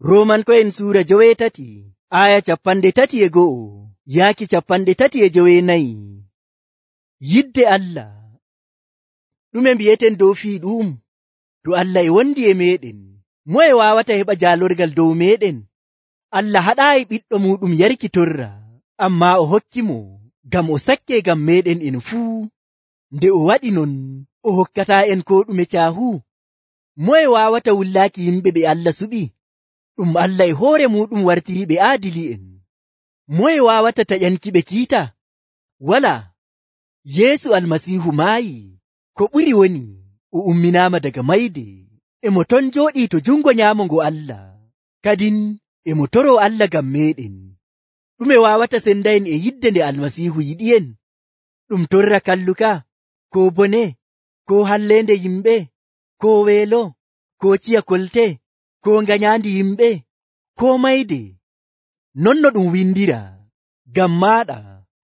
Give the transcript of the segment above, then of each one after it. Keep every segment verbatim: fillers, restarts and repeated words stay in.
Roomanko'en suura joweetati aya capanɗe tati e go'o yaaki capanɗe tati e joweenayi. Yidde Allah. Ɗume mbi'eten dow fii ɗum? To Allah e wondi e meeɗen, moye waawata heɓa jaalorgal dow meeɗen? Allah haɗaayi ɓiɗɗo muɗum yarki torra, ammaa o hokkimo ngam o sakke ngam meeɗen en fuu. Nde o waɗi non, o hokkataa en ko ɗume caahu? Moye waawata wullaaki yimɓe ɓe Allah suɓi? Ɗum Allah e hoore muɗum wartiriɓe aadili'en. Moye waawata taƴankiɓe kiita? Walaa. Yeesu Almasiihu maayi, ko ɓuri woni o umminaama daga mayde, e mo ton jooɗii to jungo nyaamo ngo Allah, kadin e mo toroo Allah ngam meeɗen. Ɗume waawata senda'en e yidde nde Almasiihu yiɗi'en? Ɗum torra kalluka, ko bone, ko halleende yimɓe, ko weelo, ko ciya kolte, ko nganyaandi yimɓe, ko mayde? Non no ɗum windira, ngam maaɗa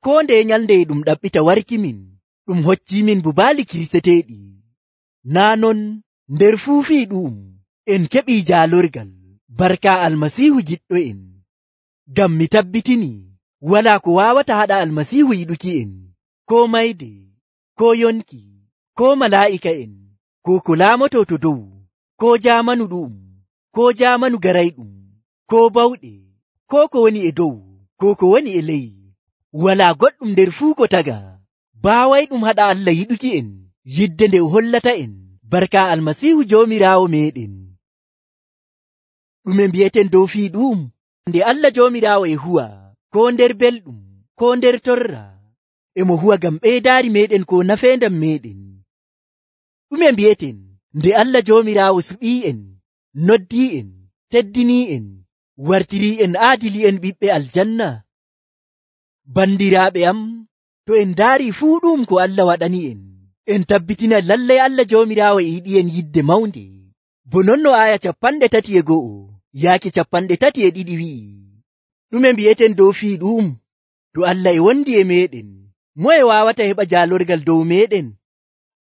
koo nde nyalnde e ɗum ɗaɓɓita warkimin, ɗum hoccimin bubaali kirseteeɗi. Naa non nder fuu fii ɗum en keɓii jaalorgal barka Almasiihu giɗɗo'en. Ngam mi tabbitini walaa ko waawata haɗa Almasiihu yiɗuki'en, ko mayde, ko yonki, ko malaa'ika'en, ko ko laamotoo to dow, ko jaamanu ɗu'um, ko jaamanu garayɗum, ko bawɗe, ko ko woni e dow, ko ko woni e ley. Walaa goɗɗum nder fuu ko taga baawayɗum haɗa Allah yiɗuki'en yidde nde o hollata'en barka Almasiihu Joomiraawo meeɗen. Ɗume mbi'eten dow fii ɗum? Nde Allah Joomiraawo e huwa, ko nder belɗum, ko nder torra, e mo huwa ngam ɓeydaari meeɗen ko nafeendam meeɗen. Ɗume mbi'eten nde Allah Joomiraawo suɓii'en, noddii'en, teddinii'en, wartirii'en aadili'en ɓiɓɓe aljanna? Bandiraaɓe am, to en ndaarii fuu ɗum ko Allah waɗani'en, en tabbitina lallay Allah Joomiraawo e yiɗi'en yidde mawnde. Bo non no aya capanɗe tati e go'o yaaki capanɗe tati e ɗiɗi wi'i. Ɗume mbi'eten dow fii ɗum? To Allah e wondi e meeɗen, moye waawata heɓa jaalorgal dow meeɗen?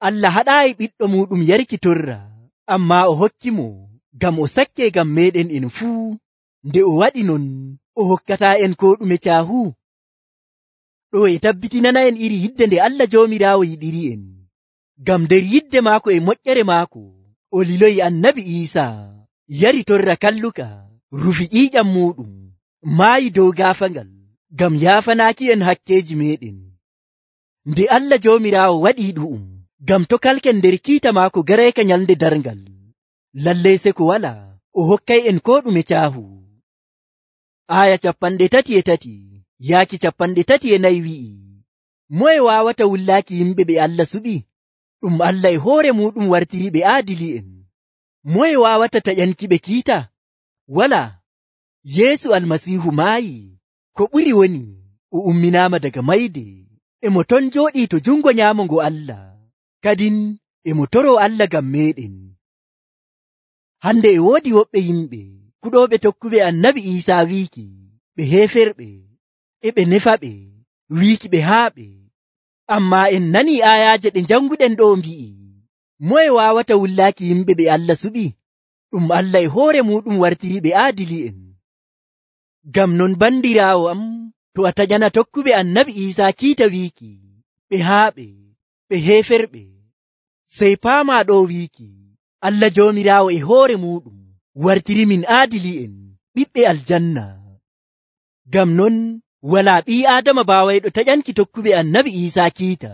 Allah haɗaayi ɓiɗɗo muɗum yarki torra, ammaa o hokkimo ngam o sakke ngam meeɗen en fuu. Nde o waɗi non, o hokkataa en ko ɗume caahu? Ɗo e tabbitinana'en iri yidde nde Allah Joomiraawo yiɗiri'en. Ngam nder yidde maako e moƴƴere maako, o liloyi Annabi Iisaa, yari torra kalluka, rufi ƴiiƴam muɗum, maayi dow gaafangal, ngam yaafanaaki en hakkeeji meeɗen. Nde Allah Joomiraawo waɗii ɗu'um, ngam to kalken nder kiita maako garayka nyalnde darngal, lallay se ko walaa, o hokkay en ko ɗume caahu. Aya capanɗe tati e tati yaaki capanɗe tati e nayi wi'i, moye waawata wullaaki yimɓe ɓe Allah suɓi? Ɗum Allah e hoore muɗum wartiriɓe aadili'en. Moye waawata taƴankiɓe kiita? Walaa. Yeesu Almasiihu maayi, ko ɓuri woni o umminaama daga mayde, e mo ton jooɗii to jungo nyaamo ngo Allah, kadin e mo toroo Allah ngam meeɗen. Hande e woodi woɓɓe yimɓe kuɗooɓe tokkuɓe Annabi Iisaa wiiki ɓe heeferɓe, e ɓe nefaɓe, wiiki ɓe haaɓe. Ammaa en nanii aayaaje ɗe janguɗen ɗo mbi'i, moye waawata wullaaki yimɓe ɓe Allah suɓi? Ɗum Allah e hoore muɗum wartiriɓe aadili'en. Ngam non bandiraawo am, to a taƴana tokkuɓe Annabi Iisaa kiita wiiki ɓe haaɓe, ɓe heeferɓe, sey paamaa ɗo wiiki Allah Joomiraawo e hoore muɗum wartirimin aadili'en, ɓiɓɓe aljanna. Ngam non walaa ɓii Aadama baawayɗo taƴanki tokkuɓe Annabi Iisaa kiita.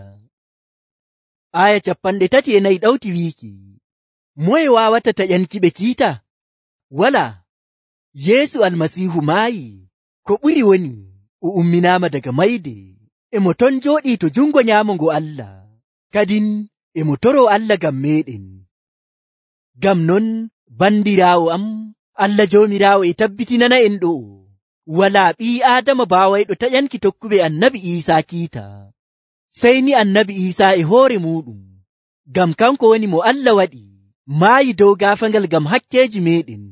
Aya capanɗe tati e nayi ɗawti wiiki, moye waawata taƴankiɓe kiita? Walaa. Yeesu Almasiihu maayi, ko ɓuri woni o umminaama daga mayde, e mo ton jooɗii to jungo nyaamo ngo Allah, kadin e mo toroo Allah ngam meeɗen. Ngam non bandiraawo am, Allah Joomiraawo e tabbitinana en ɗo, walaa ɓii Aadama baawayɗo taƴanki tokkuɓe Annabi Iisaa kiita, sey ni Annabi Iisaa e hoore muɗum, ngam kanko woni mo Allah waɗi, maayi dow gaafangal ngam hakkeeji meeɗen.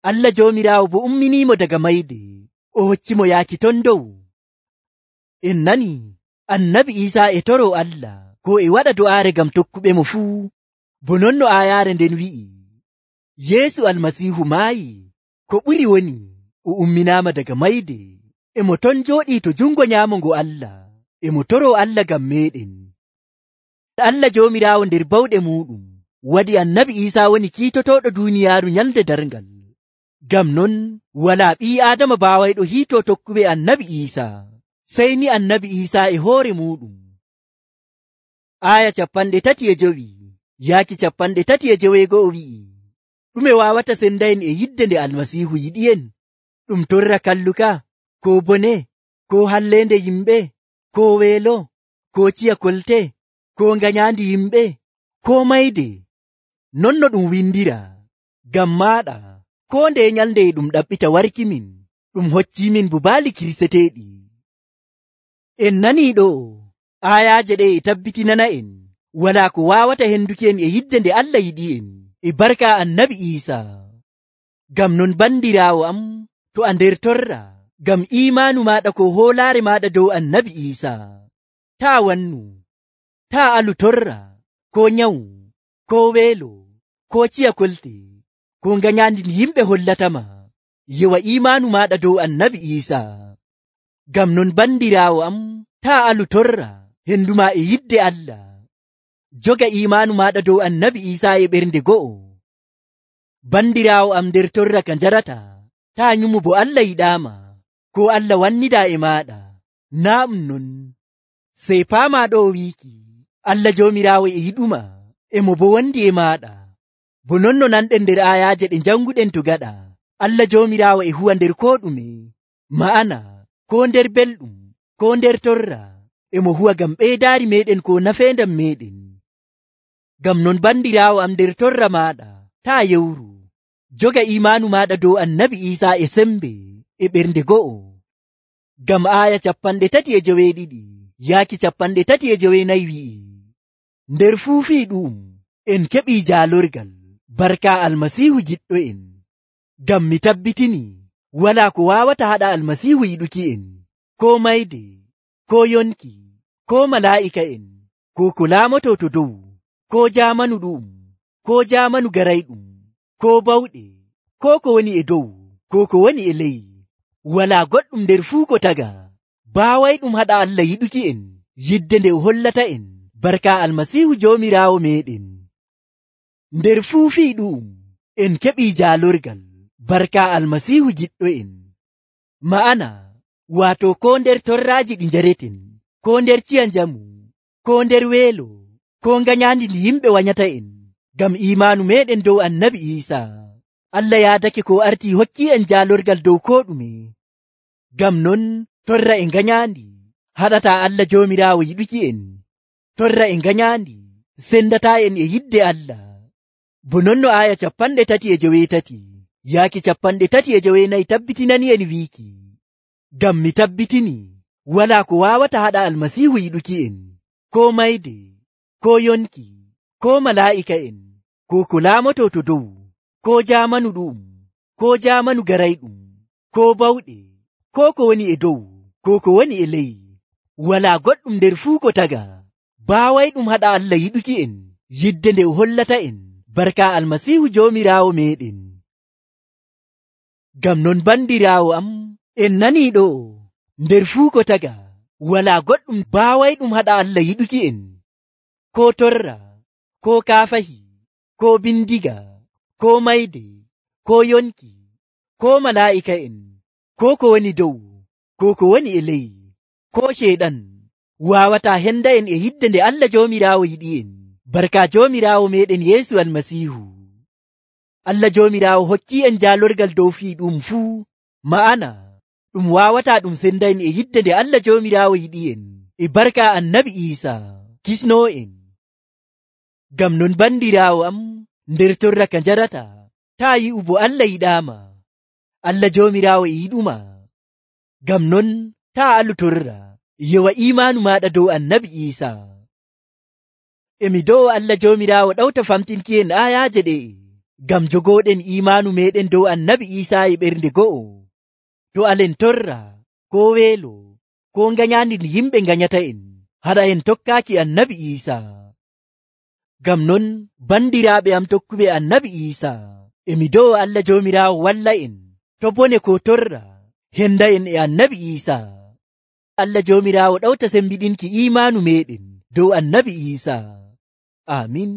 Allah Joomiraawo bo umminiimo daga mayde, o hoccimo yaaki ton dow. En nani Annabi Iisaa e toroo Allah, ko e waɗa do'aare ngam tokkuɓe mo fuu, bo non no aayaare nden wi'i, Yeesu Almasiihu maayi, ko ɓuri woni o umminaama daga mayde, e mo ton jooɗii to jungo nyaamo ngo Allah, e mo toroo Allah ngam meeɗen. Allah Joomiraawo nder bawɗe muɗum waɗi annabi Iisaa woni kiitotooɗo duuniyaaru nyalde darngal. Ngam non walaa ɓii Aadama baawayɗo hiitoo tokkuɓe annabi Iisaa, sey ni annabi Iisaa e hoore muɗum. Aya capanɗe tati e jowi yaaki capanɗe tati e joweego'o wi'i, ɗume waawata sendayen e yidde nde Almasiihu yiɗi'en? Ɗum torra kalluka, ko bone, ko halleende yimɓe, ko weelo, ko ciya kolte, ko nganyandi yimɓe, ko mayde? Non no ɗum windira, ngam maaɗa ko nde nyalnde ɗum ɗaɓɓita warkimin, ɗum hoccimin bubaali kirseteeɗi. En nanii ɗo, ayaaje ɗe e tabbitinana'en walaa ko waawata henduki en e yidde nde Allah yiɗi'en e barka annabi Iisaa. Ngam non bandiraawo am, to a nder torra ngam iimaanu maaɗa ko hoolaare maaɗa dow annabi Iisaa, taa wannu, taa alu torra, ko nyawu, ko weelo, ko ciya kolte, ko nganyandi yimɓe hollatama. Yewa iimaanu maaɗa dow annabi Iisaa. Ngam non bandiraawo am, taa alu torra henduma e yidde Allah. Joga iimaanu maaɗa dow annabi Iisaa e ɓernde go'o. Bandiraawo am nder torra ka njarata, taa nyumu bo Allah yiɗaama, ko Allah wannidaa e maaɗa. Naa ɗum non, sey paamaa ɗo wiiki, Allah Joomiraawo e yiɗuma, e mo bo wondi e maaɗa. Bo non no nanɗen nder ayaaje ɗe janguɗen to gaɗa, Allah Joomiraawo e huwa nder ko ɗume, ma'ana ko nder belɗum, ko nder torra, e mo huwa ngam ɓeydaari meɗen ko nafeendam meɗen. Ngam non bandiraawo am nder torra maaɗa, taa yewru, joga iimaanu maaɗa dow annabi Iisaa e sembe e ɓernde go'o. Ngam aya capanɗe tati e joweeɗiɗi yaaki capanɗe tati e joweenayi wi'i, nder fuu fii ɗum en keɓii jaalorgal barka Almasiihu giɗɗo en. Ngam mi tabbitini walaa ko waawata haɗa Almasiihu yiɗuki en, ko mayde, ko yonki, ko malaa'ika'en, ko ko laamoto to dow, ko jaamanu ɗum, ko jaamanu garayɗum, ko bawɗe, ko ko woni e dow, ko ko woni e ley. Walaa goɗɗum nder fuu ko taga baawayɗum haɗa Allah yiɗuki en yidde nde o hollata en barka Almasiihu Joomiraawo meɗen. Nder fuu fii ɗum en keɓii jaalorgal barka Almasiihu giɗɗo en. Ma'ana waato ko nder torraaji ɗi njareten, ko nder ciya njamu, ko nder weelo, ko nganyandi ndi yimɓe wanyata en, ngam iimaanu meɗen dow annabi Iisaa. Allah yaadake ko arti hokki en jaalorgal dow ko ɗume. Ngam non torra e nganyandi haɗata Allah Joomiraawo yiɗuki en. Torra e nganyandi sendata en e yidde Allah. Bo non no aya capanɗe tati e joweetati yaaki capanɗe tati e joweenayi tabbitinani en wiiki, ngam mi tabbitini walaa ko waawata haɗa Almasiihu yiɗuki en, ko mayde, ko yonki, ko malaa'ika'en, ko ko laamoto to dow, ko jaamanu ɗum, ko jaamanu garayɗum, ko bawɗe, ko ko woni e dow, ko ko woni e ley. Walaa goɗɗum nder fuu ko taga baawayɗum haɗa Allah yiɗuki en yidde nde o hollata en barka Almasiihu Joomiraawo meɗen. Ngam non bandiraawo am, en nanii ɗo, nder fuu ko taga walaa goɗɗum baawayɗum haɗa Allah yiɗuki en, ko torra, ko kaafahi, ko bindiga, ko mayde, ko yonki, ko malaa'ika'en, ko ko woni dow, ko ko woni e ley, ko ceeɗan waawata henda en e yidde nde Allah Joomiraawo yiɗi en barka Joomiraawo meɗen Yeesu Almasiihu. Allah Joomiraawo hokki en jaalorgal dow fii ɗum fuu, ma'ana ɗum waawata ɗum senda en e yidde nde Allah Joomiraawo yiɗi en e barka annabi Iisaa kisnoo en. Ngam non bandiraawo am, nder torra ka njarata, taa yi'u bo Allah yiɗaama. Allah Joomiraawo e yiɗuma. Ngam non taa alu torra, yewa iimaanu maaɗa dow annabi Iisaa. Emi dow Allah Joomiraawo ɗawta famtinki en ayaaje ɗe, ngam jogooɗen iimaanu meɗen dow annabi Iisaa e ɓernde go'o. To alen torra, ko weelo, ko nganyandi ndi yimɓe nganyata en, haɗa en tokkaaki annabi Iisaa. Ngam non bandiraaɓe am tokkuɓe annabi Iisaa, emi dow Allah Joomiraawo walla en to bone ko torra, henda'en e annabi Iisaa. Allah Joomiraawo ɗawta sembiɗinki imaanu meɗen dow annabi Iisaa. Aamin.